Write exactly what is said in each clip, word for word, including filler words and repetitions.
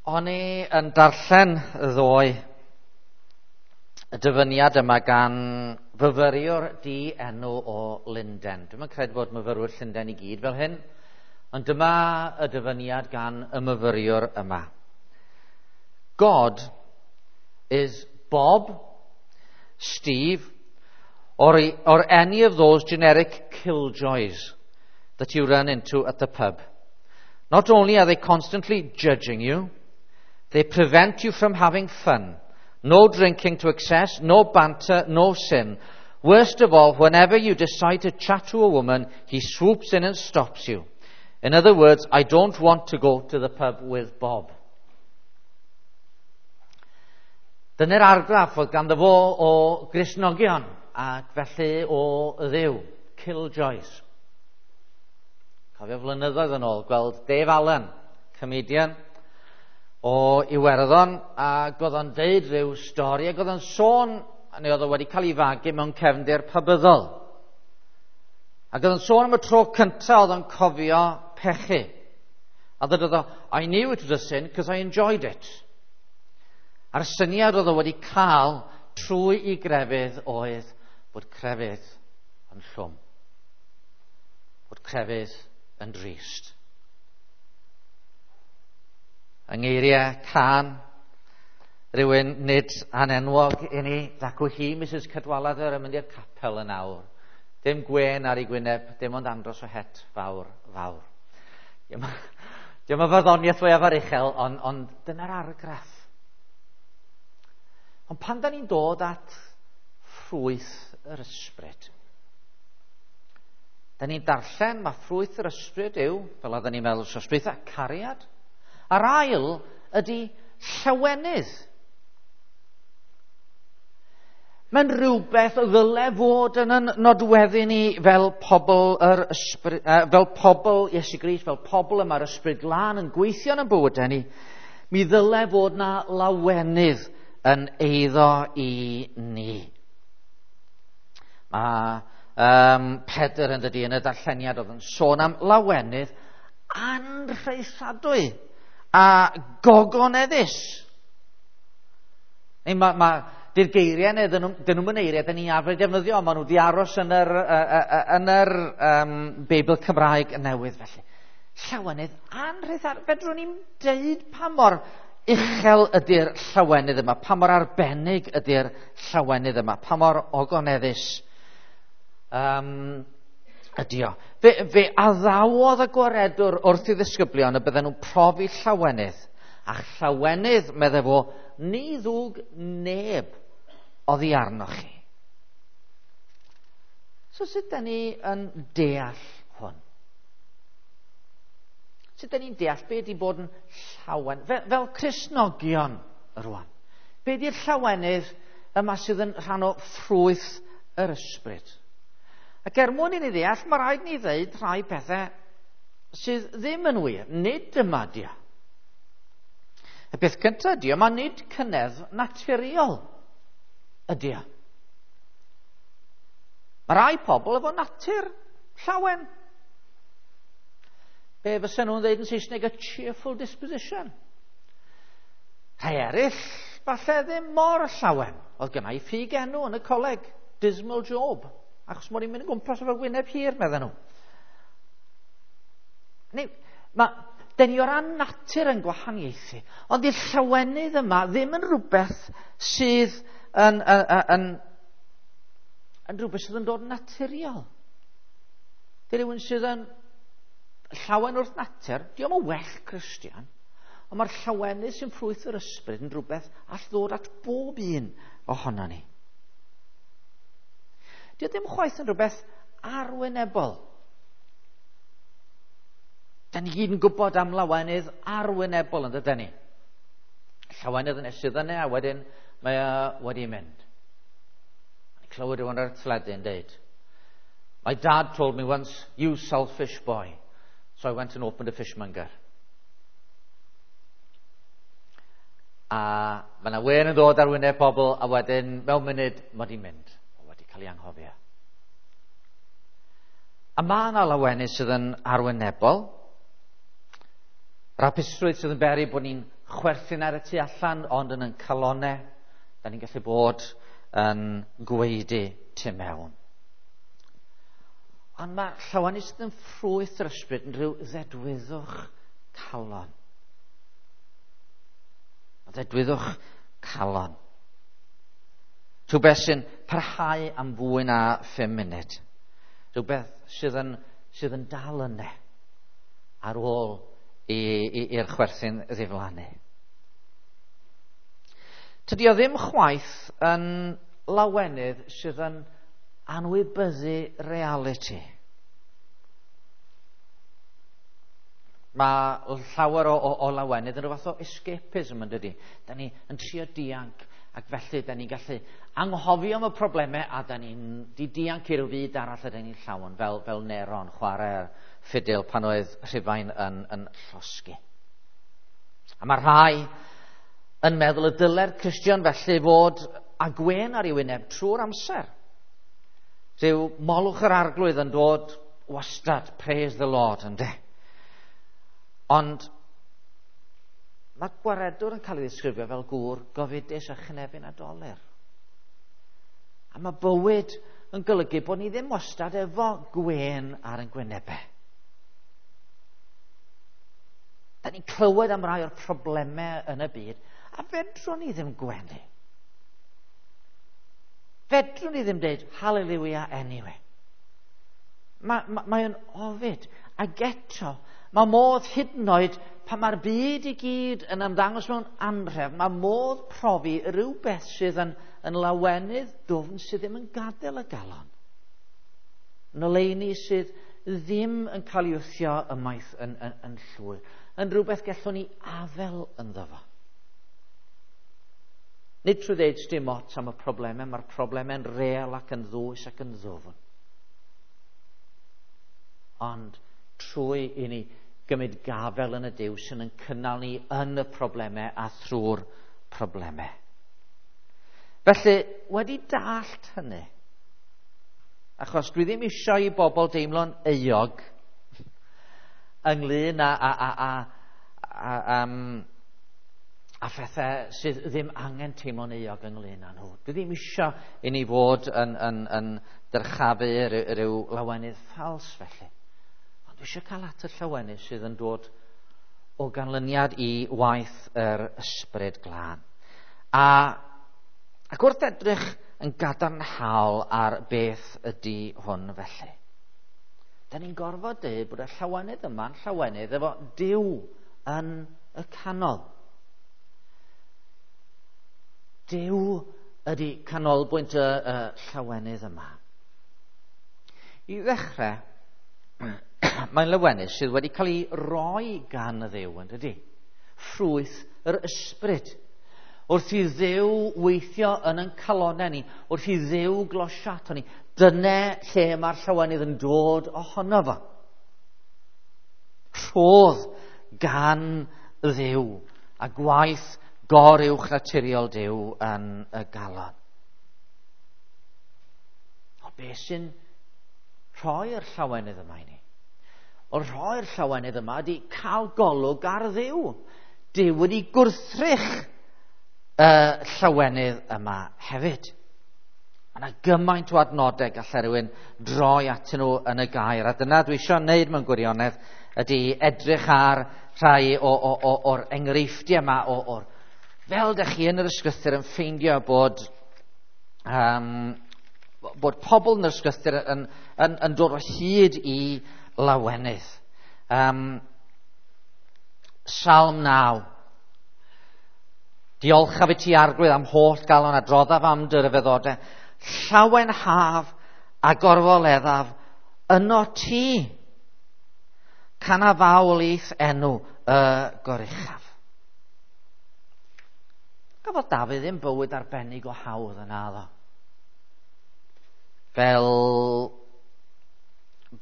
O'n i yn darllen ddoe y dyfyniad yma gan fyfyriwr di-enw o Lunden. Dwi'm yn credu bod myfyrwyr Llundain i gyd fel hyn, ond dyma y dyfyniad gan y myfyriwr yma. God is Bob, Steve, or, or any of those generic killjoys that you run into at the pub. Not only are they constantly judging you, they prevent you from having fun. No drinking to excess, no banter, no sin. Worst of all, whenever you decide to chat to a woman, he swoops in and stops you. In other words, I don't want to go to the pub with Bob. Dyna'r argraff oedd ganddo fo o Gristnogion ac felly o Dduw, killjoys. Cofio flynyddoedd yn ôl gweld Dave Allen, comedian o Iwerddon, ac oedd o'n deud rhyw stori, ac oedd o'n sôn, neu oedd o wedi cael ei fagu mewn cefndir pabyddol. Ac oedd o'n sôn am y tro cyntaf oedd o'n cofio pechu. A dwedodd o, I knew it was a sin because I enjoyed it. A'r syniad oedd o wedi cael trwy i grefydd oedd bod crefydd yn llwm. Bod crefydd yn drist. Yng ngeiriau cân, rhywun nid anenwog i ni, dacw hi Missus Cadwaladr yn mynd i'r capel yn awr. Dim gwên ar ei gwyneb, dim ond andros o het fawr, fawr. Diolch yn farddoniaeth fwyaf aruchel, ond, ond dyna'r argraff. Ond pan da ni'n dod at ffrwyth yr ysbryd, da ni'n darllen mae ffrwyth yr ysbryd yw, fel oedden ni'n meddwl wsos dwytha, cariad. A'r ail ydy llawenydd. Mae'n rhywbeth ddyle fod yn yn nodweddu ni fel pobl yr ysbryd, fel pobl Iesu Grist, fel pobl y mae'r ysbryd glân yn gweithio yn ein bywydau ni. Mi ddyle fod na lawenydd yn eiddo i ni. Mae um, Pedr yn dydi yn y darlleniad oedd yn sôn am lawenydd anrhaethadwy a gogoneddus. Neu ma, ma, di'r geiriau neu dyn nhw'n nhw eiriau dyn ni arfer defnyddio, maen nhw wedi aros yn yr, uh, uh, yn yr um, Beibl Cymraeg newydd felly. Llawenydd anrhaethadwy. Fedrwn ni'n deud pa mor uchel ydy'r llawenydd yma, pa mor arbennig ydy'r llawenydd yma, pa mor ogoneddus um, ydy o. Fe, fe addawodd y gwaredwr wrth i ddisgyblion y bydden nhw'n profi llawenydd, a llawenydd, medde fo, ni ddwg neb oddi arnoch chi. So sut da ni yn deall hwn? Sut da ni'n deall be ydy bod yn llawen? Fel, fel Cristnogion rwan. Be ydy'r llawenydd yma sydd yn rhan o ffrwyth yr ysbryd? Ac er mwyn i ni ddeall, mae rhaid ni ddeud rhai pethau sydd ddim yn wir. Nid dyma di o. Y peth cyntaf ydy o, mae nid cynedd naturiol ydy o. Mae rai pobl efo natur llawen. Be fysa nhw'n dweud yn Saesneg, a cheerful disposition. Rhai eraill, falle ddim mor llawen. Oedd gynna i ffug enw yn y coleg, Dismal Job, achos mod i'n mynd yn gwmpas efo gwyneb hir, medden nhw. Neu, mae, dyn ni o ran natur yn gwahaniaethu, ond i'r llawenydd yma ddim yn rhywbeth sydd yn, yn, yn, yn rhywbeth sydd yn dod yn naturiol. Di rhywun sydd yn llawen wrth natur, diolch yn well Christian, ond mae'r llawenydd sy'n ffrwyth yr ysbryd yn rhywbeth all ddod at bob un ohono ni. Dio ddim chwaith yn rhywbeth arwynebol. Da ni gyd yn gwybod am lawenydd arwynebol yn dydyn ni. Llawenydd yn esydd yna, a wedyn mae o wedi mynd. Mae'n clywed rhywun ar y teledu yn deud, My dad told me once, you selfish boy. So I went and opened a fishmonger. A mae yna wen yn dod ar wyneb pobl, a wedyn mewn munud mae di mynd. O, wedi cael ei anghofio. A mae yna lawenydd sydd yn arwynebol. Rapusrwydd sydd yn beri bod ni'n chwerthin ar y tu allan, ond yn yn calonau, da ni'n gallu bod yn gwaedu tu mewn. Ond mae llawenydd sydd yn ffrwyth yr ysbryd yn rhyw ddedwyddwch calon. Ddedwyddwch calon. Rhywbeth sy'n parhau am fwy na phum munud. Rhywbeth sydd yn, sydd yn dal yna ar ôl i'r chwerthin ddiflannu. Tydi o ddim chwaith yn lawenydd sydd yn anwybyddu realiti. Mae llawer o, o, o lawenydd yn rhyw fath o escapism yn dydi. Da ni yn trio dianc, ac felly da ni'n gallu anghofio am y problemau a da ni'n di dianc i ryw fyd arall a da ni'n llawn, fel, fel Neron chwarae'r ffidil pan oedd Rhufain yn, yn llosgi. A mae rhai yn meddwl y dyle'r Cristion felly fod â gwên ar ei wyneb trwy'r amser. Rhyw molwch yr arglwydd yn dod wastad, praise the Lord, ynde. Ond mae gwaredwr yn cael ei ddisgrifio fel gŵr gofidus a chynefin a dolur. A mae bywyd yn golygu bod ni ddim wastad efo gwên ar ein gwynebau. Da ni'n clywed am rai o'r problemau yn y byd, a fedrwn ni ddim gwenu. Fedrwn ni ddim dweud hallelujah anyway. Mae, ma, mae o'n ofid. Ac eto, mae modd hyd yn oed pan mae'r byd i gyd yn ymddangos mewn anrhefn, mae modd profi rhywbeth sydd yn, yn lawenydd dwfn sydd ddim yn gadael y galon. Yn oleuni sydd ddim yn cael ei wthio ymaith yn, yn, yn llwyr. Yn rhywbeth gallwn ni afel ynddo fo. Nid trwy ddeud dim ots am y problemau, mae'r problemau'n real ac yn ddwys ac yn ddwfn. Ond trwy i ni gymryd gafel yn y Duw sy'n yn cynnal ni yn y problemau a thrwy'r problemau. Felly, wedi dallt hynny, achos dwi ddim eisiau i bobl deimlo'n euog ynglyn â, a, a, a, a, um, a phethau sydd ddim angen teimlo'n euog ynglyn â nhw. Dwi ddim eisiau i ni fod yn, yn, yn dyrchafu rhyw lawenydd ffals felly. Ond dwi eisiau cael at y llawenydd sydd yn dod o ganlyniad i waith yr ysbryd glân. A, ac wrth edrych yn gadarnhaol ar beth ydy hwn felly, da ni'n gorfod dweud bod y llawenydd yma'n llawenydd efo Duw yn y canol. Duw ydy canolbwynt y, y llawenydd yma. I ddechrau, mae'n lawenydd sydd wedi cael ei roi gan y Dduw, yn dydy? Ffrwyth yr ysbryd. Wrth i Dduw weithio yn ein calonnau ni, wrth i Dduw glosio ato ni, dyna lle mae'r llawenydd yn dod ohono fo. Rhodd gan Dduw a gwaith goruwch naturiol Duw yn y galon. O, beth sy'n rhoi'r llawenydd yma i ni? O, rhoi'r llawenydd yma ydy cael golwg ar Dduw. Duw wedi gwrthrych y llawenydd yma hefyd. Mae yna gymaint o adnodau gallai rhywun droi atyn nhw yn y gair, a dyna dwi eisiau wneud mewn gwirionedd ydy edrych ar rhai o, o, o, o'r enghreifftiau yma, o, o'r, fel dych chi yn yr ysgrythur yn ffeindio bod, um, bod pobl yn yr ysgrythur yn, yn, yn dod o hyd i lawenydd. Um, Salm naw. Diolchaf i ti arglwydd am holl galon a droddaf am dy ryfeddodau. Llawenhaf a gorfoleddaf yno ti. Canaf fawl i'th enw y goruchaf. Gafodd Dafydd ddim bywyd arbennig o hawdd yna ddo. Fel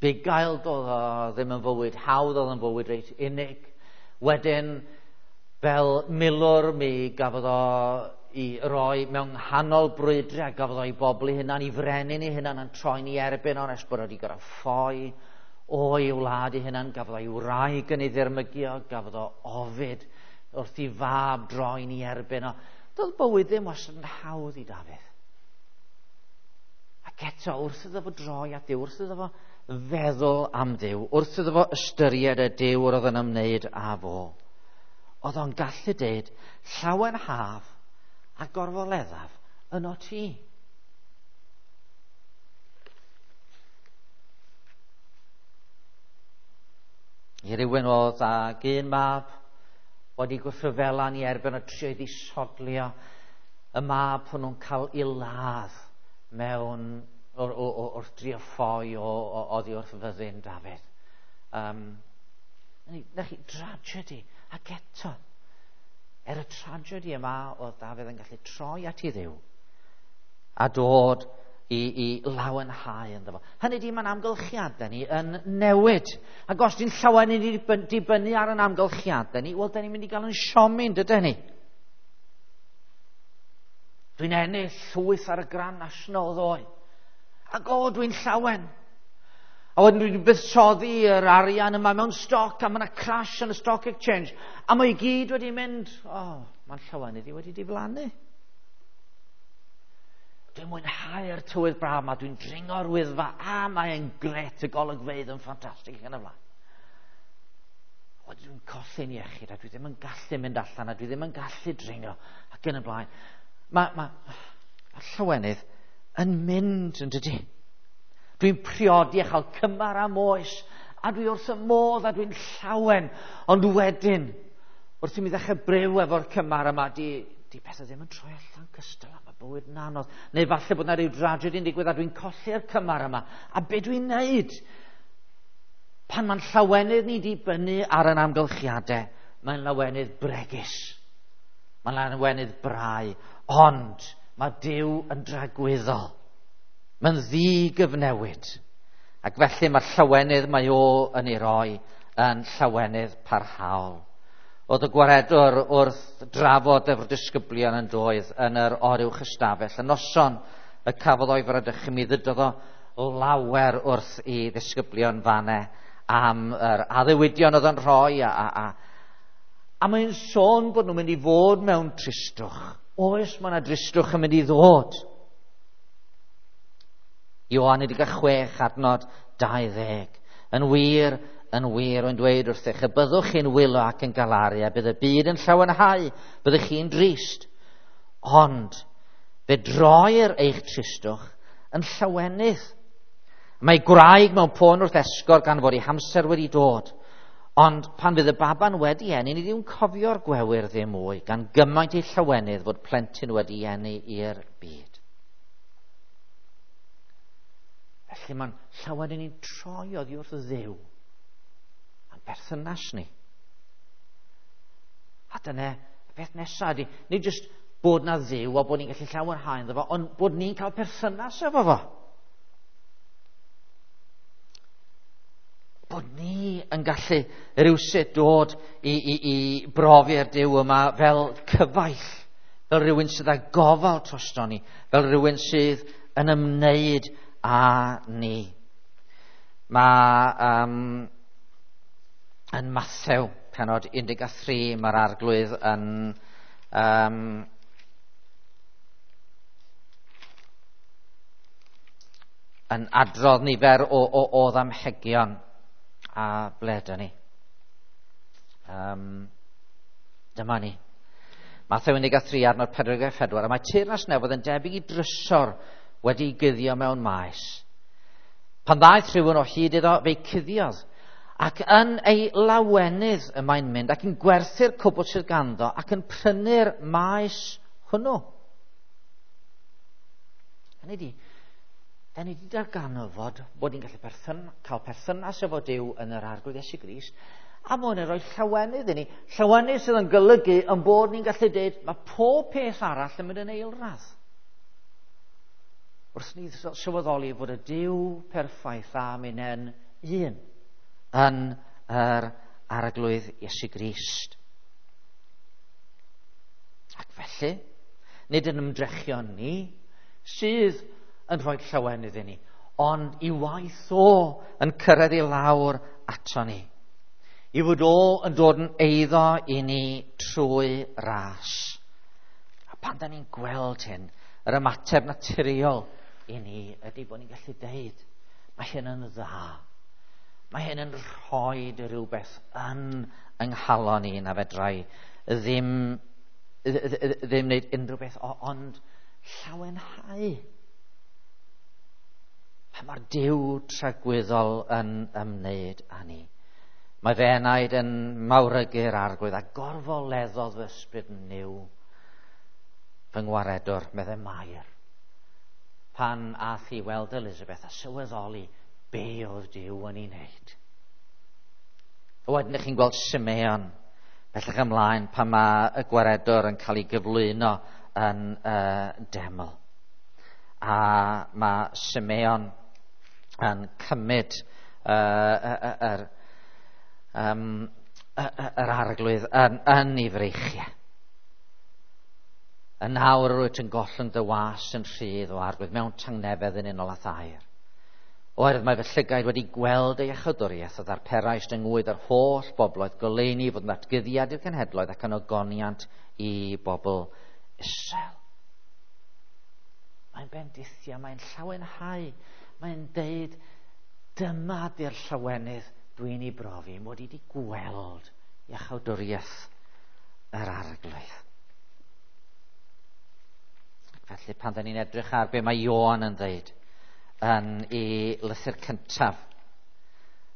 bugail doedd o ddim yn fywyd hawdd, oedd yn fywyd reit unig. Wedyn, fel milwr, mi gafodd o i roi mewn nghanol brwydre, a gafodd o i bobl ei hunan, i frenin ei hunan yn troi'n ei erbyn o'n nes bod o wedi gorfod ffoi o'i wlad ei hunan, gafodd o'i wraig yn ei ddirmygio, gafodd o ofid, wrth i fab droi'n ei erbyn o. Doedd bywyd ddim wastad yn hawdd i Dafydd. Ac eto, wrth iddo fo droi at Dduw, wrth iddo fo feddwl am Dduw, wrth iddo fo ystyried y Duw yr oedd yn ymwneud â fo, oedd o'n gallu deud, llawenhaf a gorfoleddaf yno ti. I rywun oedd ag un mab wedi gwrthryfela'n ei erbyn o trio i ddisodlio y mab hwnnw'n cael ei ladd mewn o'r, o, wrth drio ffoi o, o, oddi wrth fyddin Dafydd. Um, na chi, tragedy. Ac eto, er y tragedy yma oedd Dafydd yn gallu troi at ei Dduw a dod i, i lawenhau ynddo fo. Hynny di, mae'n amgylchiadau ni yn newid. Ac os di'n llawen i ni dibynnu ar yn amgylchiadau ni, wel, da ni'n mynd i gael yn siomi, dydyn ni? Dwi'n ennill llwyth ar y Grand National ddoe. Ac o, dwi'n llawen. A wedyn dwi'n buddsoddi yr arian yma mewn stoc, a mae yna crash yn y stock exchange. A mae i gyd wedi mynd, o, oh, mae'n llawenydd i wedi diflannu. Dwi'n mwynhau'r tywydd braf yma, dwi'n dringo'r Wyddfa, a mae'n gret, y golygfeydd yn ffantastig yn y blaen. Wedyn dwi'n colli'n iechyd, a dwi ddim yn gallu mynd allan, a dwi ddim yn gallu dringo, ac yn y blaen. Mae, mae, mae llawenydd yn mynd, yn dydy. Dwi'n priodi a chael cymar am oes, a dwi wrth y modd, a dwi'n llawen. Ond wedyn, wrth i mi ddechrau byw efo'r cymar yma, di, di pethau ddim yn troi allan cystal, a mae bywyd yn anodd. Neu falle bod yna rhyw dragedy yn digwydd, a dwi'n colli'r cymar yma. A be dwi'n neud? Pan mae'n llawenydd ni dibynnu ar yn amgylchiadau, mae'n lawenydd bregus. Mae'n lawenydd brau. Ond mae Duw yn dragwyddol. Mae'n ddigyfnewid. Ac felly mae'r llawenydd mae o yn ei roi yn llawenydd parhaol. Oedd y gwaredwr wrth drafod efo'r disgyblion yn doedd yn yr oruwch ystafell. Y noson y cafodd o'i fradychu, mi ddydodd o lawer wrth i ddisgyblion fanne am yr addewidion oedd yn rhoi. A, a, a, a mae'n sôn bod nhw'n mynd i fod mewn tristwch. Oes, mae yna dristwch yn mynd i ddod. Ioan un deg chwech adnod dau ddeg. Yn wir, yn wir, yn dweud wrthych, y byddwch chi'n wylo ac yn galaru, a bydd y byd yn llawenhau, byddwch chi'n drist. Ond fe droir eich tristwch yn llawenydd. Mae gwraig mewn poen wrth esgor gan fod ei hamser wedi dod. Ond pan fydd y baban wedi eni, ni ddim cofio'r gwewyr ddim mwy, gan gymaint ei llawenydd fod plentyn wedi eni i'r byd. Felly mae'n llawenydd ni'n troi oddi wrth Dduw a'n berthynas ni. A dyna y peth nesaf ydy, nid jyst bod na Dduw a bod ni'n gallu llawenhau ynddo fo, ond bod ni'n cael perthynas efo fo. Bod ni yn gallu rywsut dod i, i, i brofi'r Duw yma fel cyfaill, fel rhywun sydd â gofal drosto ni, fel rhywun sydd yn ymwneud â ni. Mae um, yn Mathew, penod un deg tri, mae'r arglwydd yn um, yn adrodd nifer o, o, o ddamhegion. A ble dyn ni? Um, dyma ni. Mathew un deg tri, adnod pedwar deg pedwar. A mae teyrnas nefoedd yn debyg i drysor wedi'i guddio mewn maes. Pan ddaeth rhywun o hyd iddo, fe'i cuddiodd. Ac yn ei lawenydd y mae'n mynd ac yn gwerthu'r cwbl sydd ganddo ac yn prynu'r maes hwnnw. Hynny ydi, da ni wedi darganfod bod ni'n gallu perthyn, cael perthynas efo Duw yn yr Arglwydd Iesu Grist, a mae hwn yn rhoi llawenydd i ni. Llawenydd sydd yn golygu yn bod ni'n gallu dweud mae pob peth arall yn mynd yn eilradd. Wrth ni sylweddoli fod y Duw perffaith a minnen un yn yr Arglwydd Iesu Grist. Ac felly, nid yn ymdrechion ni sydd yn rhoi llawenydd i ni, ond i waith o yn cyrraedd i lawr ato ni. I fod o yn dod yn eiddo i ni trwy ras. A pan da ni'n gweld hyn, yr ymateb naturiol i ni ydy bod ni'n gallu deud, mae hyn yn dda. Mae hyn yn rhoi rhywbeth yn yng nghalon ni na fedrai ddim, ddim wneud unrhyw beth, ond llawenhau. Pan mae'r Duw tragwyddol yn ymwneud â ni. Mae fy enaid yn mawrygu'r Arglwydd a gorfoleddodd fy ysbryd Nuw fy ngwaredwr, meddai Mair. Pan ath i weld Elizabeth a sylweddoli be oedd Duw yn ei wneud. A wedyn ych chi'n gweld Simeon bellach ymlaen pan mae y gwaredwr yn cael ei gyflwyno yn uh, deml. A mae Simeon yn cymryd uh, yr um, yr Arglwydd yn, yn ei freichiau. Yn awr yr wyt yn gollwng dy was yn rhydd o Arglwydd mewn tangnefedd yn unol â thair. Oherwydd mae fy llygaid wedi gweld ei iachawdwriaeth a ddarperais yng ngwyd yr holl bobloedd goleuni fod yn ddatguddiad i'r cenhedloedd ac yn ogoniant i bobl Israel. Mae'n bendithio, mae'n llawenhau, mae'n deud dyma di'r llawenydd dwi'n ei brofi, mod i wedi gweld iachawdwriaeth yr Arglwydd. Felly pan da ni'n edrych ar be mae Ioan yn dweud yn ei lythyr cyntaf,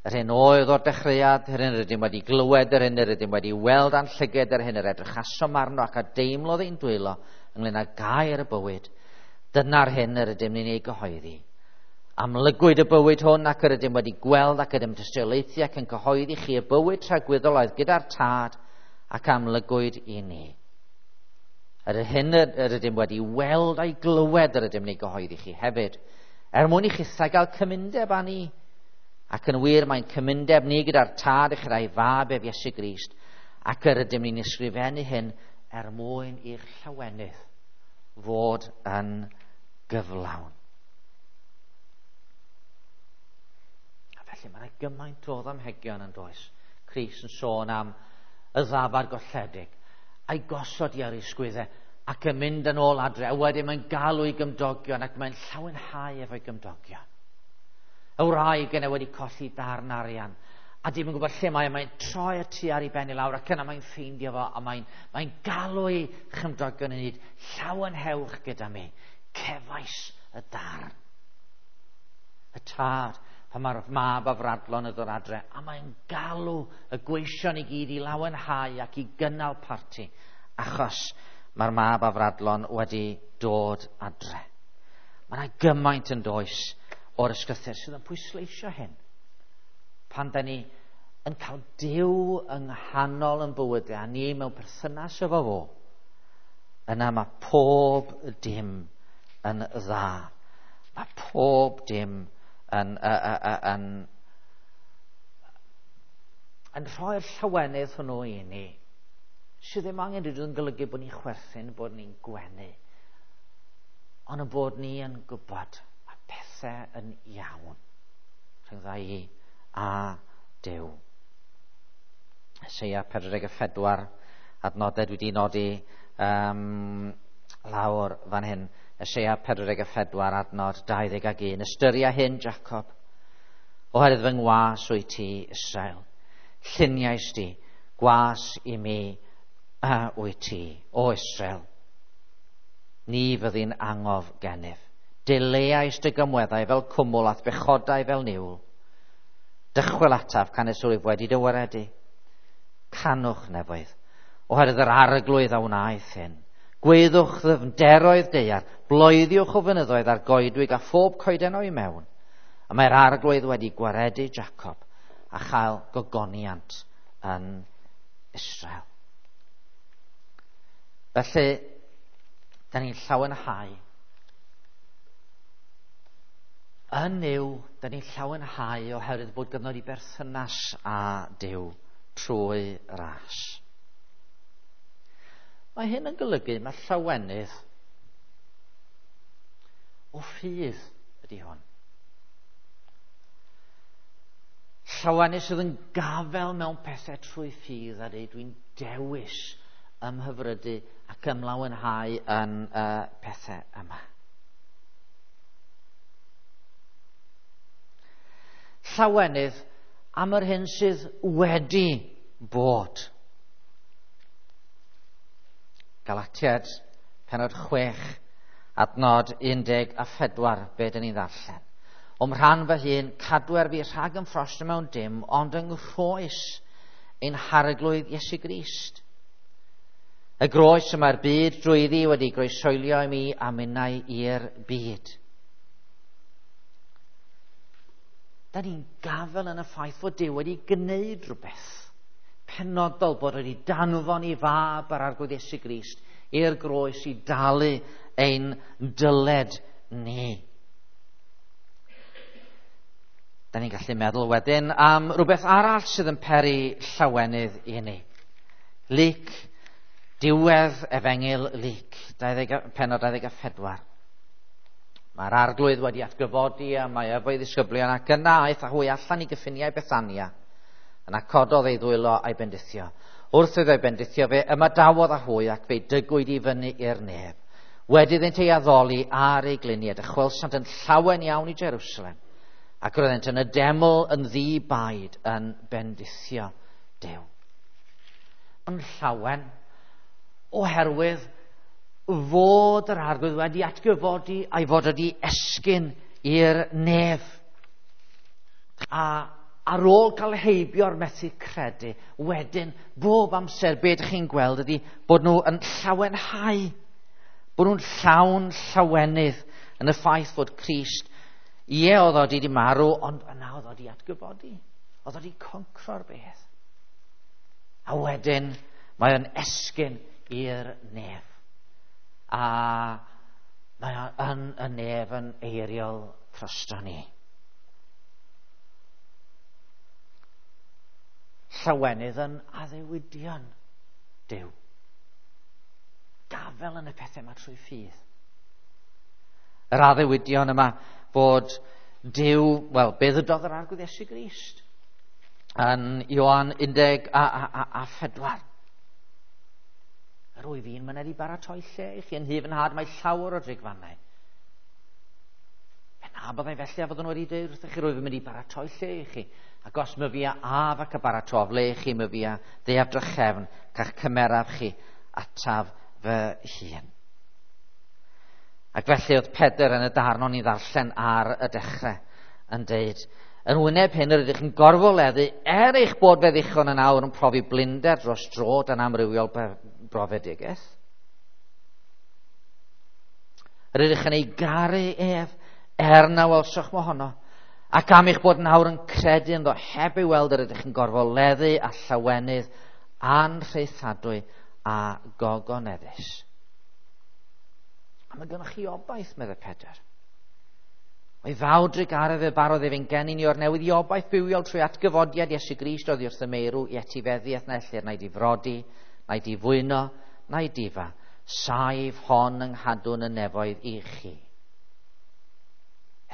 yr hyn oedd o'r dechreuad, yr hyn yr ydym wedi glywed, yr hyn yr ydym wedi weld a'n llyged, yr hyn yr edrychasom arno ac a deimlodd ein dwylo ynglyn â gair y bywyd, dyna'r hyn yr ydym ni'n ei gyhoeddi. Amlygwyd y bywyd hwn ac yr ydym wedi gweld ac ydym tystiolaethu ac yn cyhoeddi chi y bywyd tragwyddol oedd gyda'r Tad ac amlygwyd i ni. Yr hyn yr ydym wedi weld a'i glywed yr ydym ni gyhoeddi chi hefyd, er mwyn i chithau gael cymundeb â ni. Ac yn wir mae'n cymundeb ni gyda'r Tad a chyda'i Fab ef Iesu Grist, ac yr ydym ni'n ysgrifennu hyn er mwyn i'ch llawenydd fod yn gyflawn. Felly mae yna gymaint o ddamhegion yn does. Crist yn sôn am y ddafad golledig a'i gosod i ar ei sgwyddau ac yn mynd yn ôl adre. A wedyn mae'n galw ei gymdogion ac mae'n llawenhau efo'i gymdogion. Y wraig yna wedi colli darn arian a dim yn gwybod lle mae, mae'n troi y tu ar ei ben i lawr ac yna mae'n ffeindio fo a mae'n, mae'n galw ei chymdogion yn hyd, llawenhewch gyda mi, cefais y darn. Y tad pan mae'r mab afradlon yn dod adre, a mae'n galw y gweision i gyd i lawenhau ac i gynnal parti, achos mae'r mab afradlon wedi dod adre. Mae yna gymaint yn does o'r ysgrythur sydd yn pwysleisio hyn. Pan da ni yn cael Duw yng nghanol yn bywydau, a ni mewn perthynas efo fo, yna mae pob dim yn dda. Mae pob dim yn, yn, yn, yn rhoi'r llawenydd hwnnw i ni, sydd ddim angen rhywbeth yn golygu bod ni'n chwerthin, bod ni'n gwenu, ond yn bod ni yn gwybod mae pethau yn iawn rhyngdda i a Duw. Eseia pedwar deg pedwar, adnodau dwi wedi nodi um, lawr fan hyn. Eseia pedwar deg pedwar, adnod dau ddeg ag un. Ystyria hyn, Jacob, oherwydd fy ngwas wyt ti, Israel. Lluniais di, gwas i mi uh, wyt ti, o Israel. Ni fyddi'n angof gennyf. Dileais dy gymweddau fel cwmwl a'th bechodau fel niwl. Dychwel ataf canys wyf wedi dy waredu. Canwch nefoedd, oherwydd yr Arglwydd a wnaeth hyn. Gweddwch ddyfnderoedd daear, bloeddiwch o fynyddoedd a'r goedwig a phob coeden o'i mewn. A mae'r Arglwydd wedi gwaredu Jacob a chael gogoniant yn Israel. Felly, da ni'n llawenhau. Yn Nuw, da ni'n llawenhau oherwydd bod gynnon ni berthynas â Duw trwy ras. Mae hyn yn golygu mae llawenydd o ffydd ydy hwn. Llawenydd sydd yn gafel mewn pethau trwy ffydd a dweud dwi'n dewis ymhyfrydu ac ymlawenhau yn y pethau yma. Llawenydd am yr hyn sydd wedi bod. Galatiaid, pennod chwech, adnod un deg a phedwar, be dyn ni'n ddarllen. O'm rhan fy hun, cadwer fi rhag ymffrostio mewn dim, ond yng nghroes ein harglwydd Iesu Grist. Y groes y mae'r byd drwyddi wedi groesoelio i mi a minnau i'r byd. Da ni'n gafel yn y ffaith fod Duw wedi gwneud rhywbeth penodol, bod wedi danfon i fab yr Arglwydd Iesu Grist i'r groes i dalu ein dyled ni. Da ni'n gallu meddwl wedyn am rhywbeth arall sydd yn peri llawenydd i ni. Luc, diwedd Efengyl Luc, pennod dau ddeg a phedwar. Mae'r Arglwydd wedi atgyfodi a mae efo'i ddisgyblion ac yna aeth â hwy allan i gyffiniau Bethania. Yna cododd ei ddwylo a'i bendithio. Wrth iddo ei bendithio fe ymadawodd â hwy ac fe'i dygwyd i fyny i'r nef. Wedi iddynt ei addoli ar ei gliniad, dychwelsant yn llawen iawn i Jerusalem, ac roeddent yn y deml yn ddi-baid yn bendithio Duw. Yn llawen oherwydd fod yr Arglwydd wedi atgyfodi a'i fod wedi esgyn i'r nef. A ar ôl cael heibio'r methu credu, wedyn bob amser be ydych chi'n gweld ydy bod nhw yn llawenhau, bod nhw'n llawn llawenydd yn y ffaith fod Crist, ie, oedd o wedi marw, ond yna oedd o wedi atgyfodi, oedd o wedi concro'r beth. A wedyn mae o'n esgyn i'r nef. A mae o yn y nef yn eiriol drosto ni. Llawenydd yn addewidion Duw. Gafel yn y pethau yma trwy ffydd. Yr addewidion yma fod Duw, wel, be ddydodd yr Arglwydd Iesu Grist yn Ioan un deg a, a, a, a phedwar. Yr wyf i'n myned i baratoi lle i chi yn nhŷ fy nhad, mae llawer o drigfannau. Pe na byddai felly a fyddwn wedi dweud wrthych chi, rwyf yn mynd i baratoi lle i chi. Ac os myfi a af ac a baratoaf le i chi, myfi a ddeaf drachefn, ca'ch cymeraf chi ataf fy hun. Ac felly oedd Pedr yn y darn o'n i ddarllen ar y dechrau yn deud, yn wyneb hyn yr ydych yn gorfoleddu, er eich bod fe ddichon yn awr yn profi blinder dros dro dan amrywiol brofedigaeth. Yr ydych yn ei garu ef, er na welsoch mohono, ac am eich bod yn awr yn credu ynddo heb ei weld, yr ydych yn gorfoleddu a llawenydd anrhaethadwy a gogoneddus. A mae gennych chi obaith, meddai Pedr. O'i fawr drugaredd fe barodd ef ein geni ni o'r newydd i obaith bywiol trwy atgyfodiad Iesu Grist oddi wrth y meirw i etifeddiaeth na ellir na'i difrodi, na'i difwyno, na'i difa. Saif hon yng nghadwn y nefoedd i chi.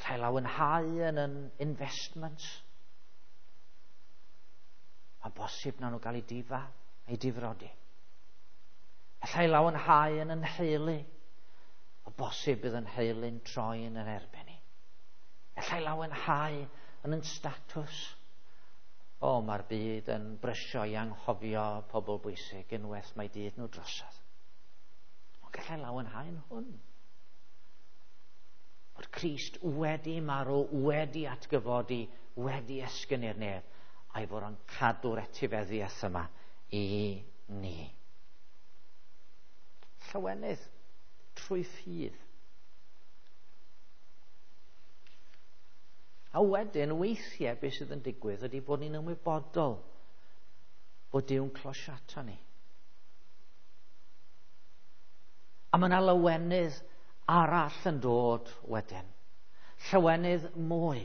Allai lawenhau yn yn investments. Mae'n bosib na nhw gael eu difa, eu difrodi. Allai lawenhau yn yn nheulu. O bosib bydd yn nheulu'n troi yn yr erbyn i. Allai lawenhau yn yn statws. O, mae'r byd yn brysio i anghofio pobl bwysig unwaith mae dydd nhw drosodd. Ond gallai lawenhau yn hwn. Bod Crist wedi marw, wedi atgyfodi, wedi esgyn i'r nef, a'i fod o'n cadw'r etifeddiaeth yma i ni. Llawenydd trwy ffydd. A wedyn, weithiau, beth sydd yn digwydd ydy bod ni'n ymwybodol bod Duw'n closiato ni. A mae yna lawenydd arall yn dod wedyn. Llawenydd mwy.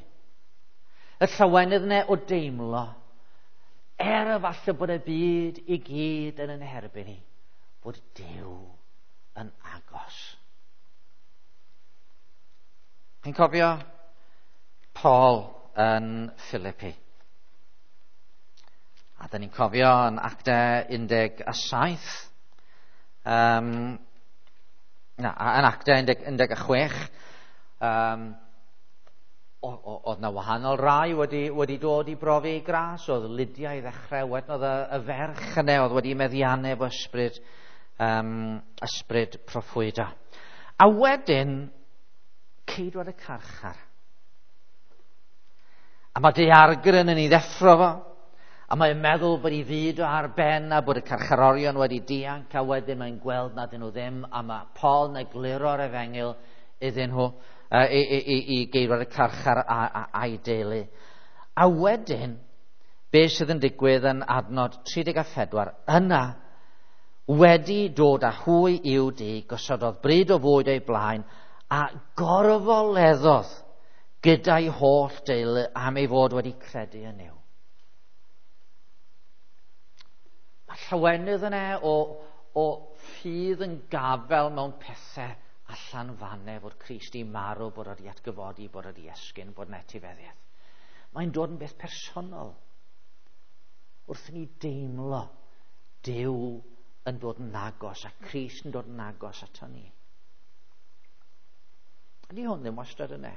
Y llawenydd yna o deimlo, er efallai bod y byd i gyd yn yn herbyn ni, bod Duw yn agos. Chi'n cofio Paul yn Philippi? A da ni'n cofio yn Actau un deg saith, um, na, yn Actau un deg chwech, um, oedd na wahanol rai wedi, wedi dod i brofi ei gras. Oedd Lydia i ddechrau, wedyn oedd y, y ferch yna oedd wedi meddiannu efo ysbryd, um, ysbryd proffwyda. A wedyn, ceidwad y carchar. A mae daeargryn yn ei ddeffro fo, a mae'n meddwl bod ei fyd o ar ben a bod y carcharorion wedi dianc, a wedyn mae'n gweld nad ydyn nhw ddim, a mae Paul yn egluro'r efengyl iddyn nhw, uh, i, i, i, i geirwad y carchar a, a, a'i deulu. A wedyn, be sydd yn digwydd yn adnod tri deg a phedwar, yna, wedi dod â hwy i'w dŷ, gosododd bryd o fwyd o'i blaen, a gorfoleddodd gyda'i holl deulu am ei fod wedi credu yn Nuw. Mae llawenydd yna o, o ffydd yn gafel mewn pethau allan fanne, fod Crist i marw, bod wedi atgyfodi, bod wedi esgyn, bod yn etifeddiaeth. Mae'n dod yn beth personol. Wrth i ni deimlo Duw yn dod yn agos a Crist yn dod yn agos ato ni. Ydy hwn ddim wastad yna.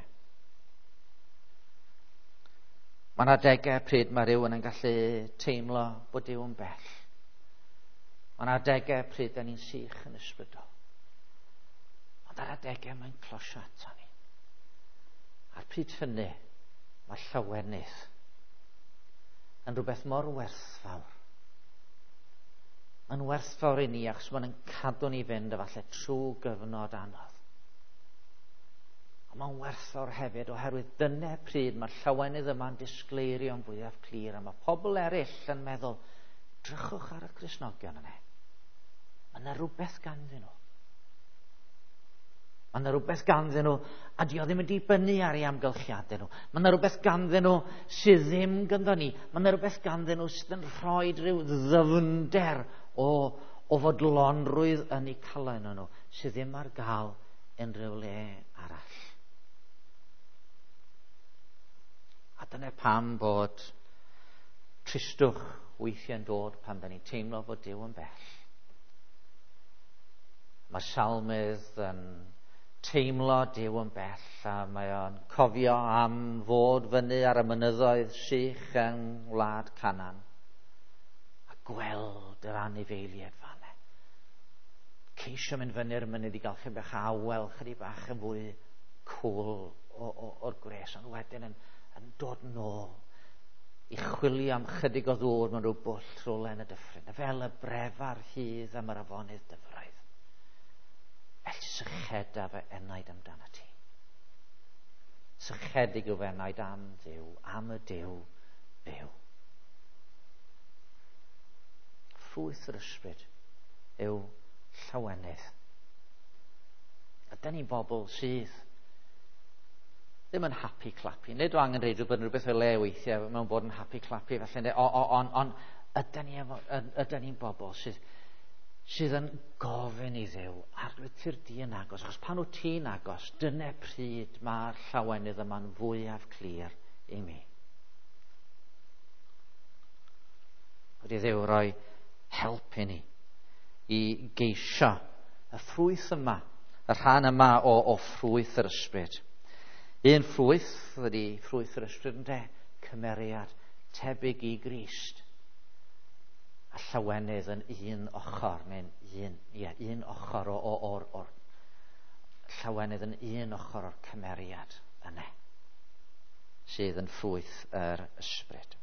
Mae yna adegau pryd mae rhywun yn gallu teimlo bod Duw yn bell. Mae yna adegau pryd da ni'n sych yn ysbrydol. Ond ar adegau mae'n closio ato ni. A'r pryd hynny, mae llawenydd yn rhywbeth mor werthfawr. Mae'n werthfawr i ni achos mae'n cadw ni fynd efallai trwy gyfnod anodd. Ond mae'n werthfawr hefyd oherwydd dyna pryd mae'r llawenydd yma'n disgleirio'n fwyaf clir, a mae pobl eraill yn meddwl, drychwch ar y Cristnogion yna. Mae yna rhywbeth ganddyn nhw. Mae yna rhywbeth ganddyn nhw, a di o ddim yn dibynnu ar ei amgylchiadau nhw. Mae yna rhywbeth ganddyn nhw sydd ddim ganddo ni. Mae yna rhywbeth ganddyn nhw sydd yn rhoi rhyw ddyfnder o, o fodlonrwydd yn eu calon nhw, sydd ddim ar gael unrhyw le arall. A dyna pam bod tristwch weithiau'n dod pan da ni'n teimlo bod Duw yn bell. Mae salmydd yn teimlo Duw yn bell, a mae o'n cofio am fod fyny ar y mynyddoedd sych yng ngwlad Canaan a gweld yr anifeiliaid fanne. Ceisio mynd fyny'r mynydd i gael chydig bach awel, chydig bach yn fwy cwl o'r gwres, ond wedyn yn, yn dod nôl i chwilio am chydig o ddŵr mewn rhyw bwll rhywle yn y dyffryn, fel y brefar hydd am yr afonydd dyfroedd. Fel sycheda fy enaid amdano ti. Sychedig yw fy enaid am Dduw, am y Duw byw. Ffrwyth yr ysbryd yw llawenydd. A dyn ni'n bobl sydd ddim yn happy clappy. Nid o angen reidrwydd bod yn rhywbeth o le weithiau mewn bod yn happy clappy felly, ond on, ydyn ni ydyn ni'n bobl sydd sydd yn gofyn i Dduw, arglwydd ti'r di yn agos, achos pan wyt ti'n agos, dyna pryd mae'r llawenydd yma'n fwyaf clir i mi. Wedi Dduw roi help i ni i geisio y ffrwyth yma, y rhan yma o, o ffrwyth yr ysbryd. Un ffrwyth ydy ffrwyth yr ysbryd ynde, cymeriad tebyg i Grist. A llawenydd yn un ochr, neu'n un, ie, un ochr o, o, o'r, o'r llawenydd yn un ochr o'r cymeriad yna, sydd yn ffrwyth yr ysbryd.